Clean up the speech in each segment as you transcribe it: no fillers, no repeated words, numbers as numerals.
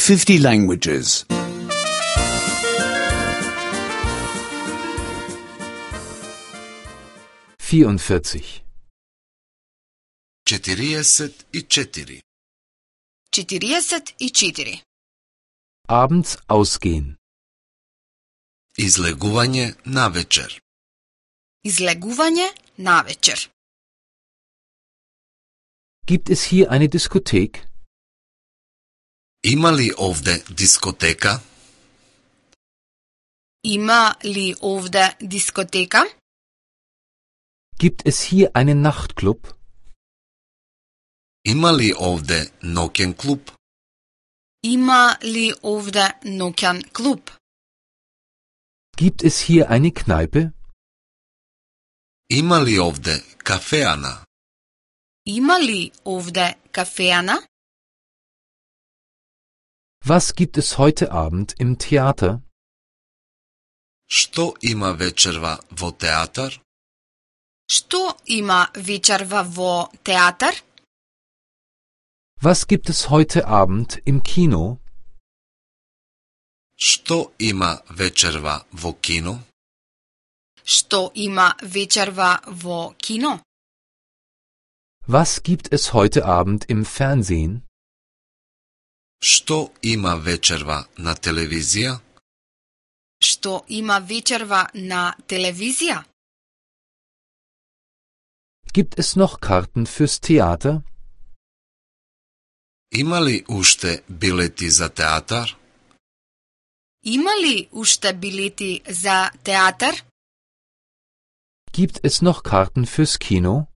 50 languages. 44. 44. 44. Abends ausgehen. Излегување на вечер. Излегување на вечер. Gibt es hier eine Diskothek? Има ли овде дискотека? Има ли овде дискотека? Gibt es hier einen Nachtclub? Има ли овде ноќен клуб? Има ли овде ноќен клуб? Gibt es hier eine Kneipe? Има ли овде кафеана? Има ли овде кафеана? Was gibt es heute Abend im Theater? Што има вечерва во театар? Што има вечерва во театар? Was gibt es heute Abend im Kino? Што има вечерва во кино? Што има вечерва во кино? Was gibt es heute Abend im Fernsehen? Што има вечерва на телевизија? Што има вечерва на телевизија? Gibt es noch Karten fürs Theater? Има ли уште билети за театар? Има ли уште билети за театар? Gibt es noch Karten fürs Kino?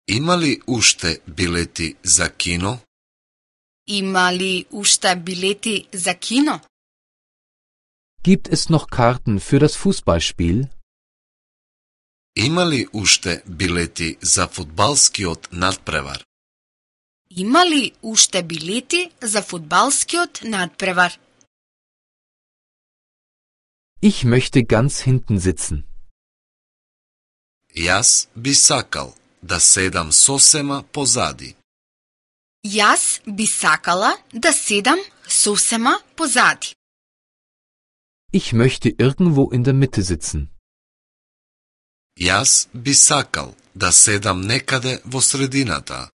Има ли уште билети за кино? Има ли уште билети за кино? Gibt es noch Karten für das Fußballspiel? Има ли уште билети за фудбалскиот надпревар? Има ли уште билети за фудбалскиот надпревар? Ich möchte ganz hinten sitzen. Јас би сакал да седам сосема позади. Јас би сакала да седам сосема позади. Ich möchte irgendwo in der Mitte sitzen. Јас би сакал да седам некаде во средината.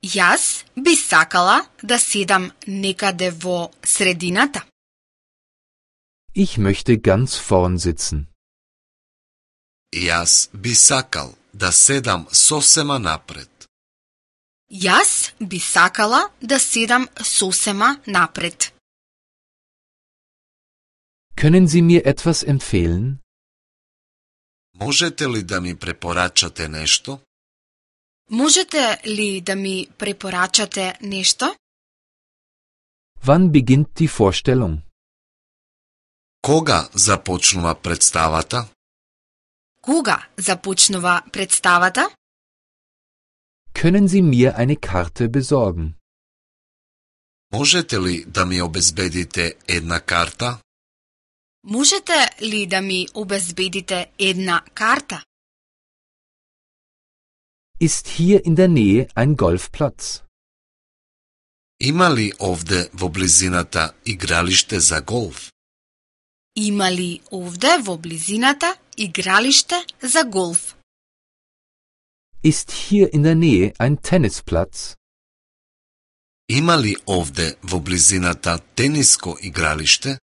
Јас би сакала да седам некаде во средината. Ich möchte ganz vorn sitzen. Јас би сакал да седам сосема напред. Јас би сакала да седам сосема напред. Können Sie mir etwas empfehlen? Можете ли да ми препорачате нешто? Можете ли да ми препорачате нешто? Wann beginnt die Vorstellung? Кога започнува представата? Кога започнува представата? Können Sie mir eine Karte besorgen? Можете ли да ми обезбедите една карта? Можете ли да ми обезбедите една карта? Ist hier in der Nähe ein Golfplatz? Има ли овде во близината игралиште за голф? Има ли овде во близината игралиште за голф? Ist hier in der Nähe ein Tennisplatz? Има ли овде во близината тениско игралиште?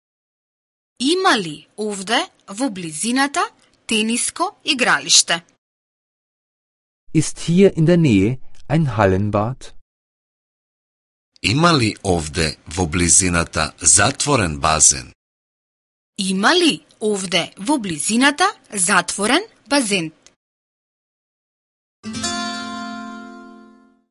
Има ли овде во близината тениско игралиште? Ist hier in der Nähe ein Hallenbad? Има ли овде во близината затворен базен? Има ли овде во близината затворен базен?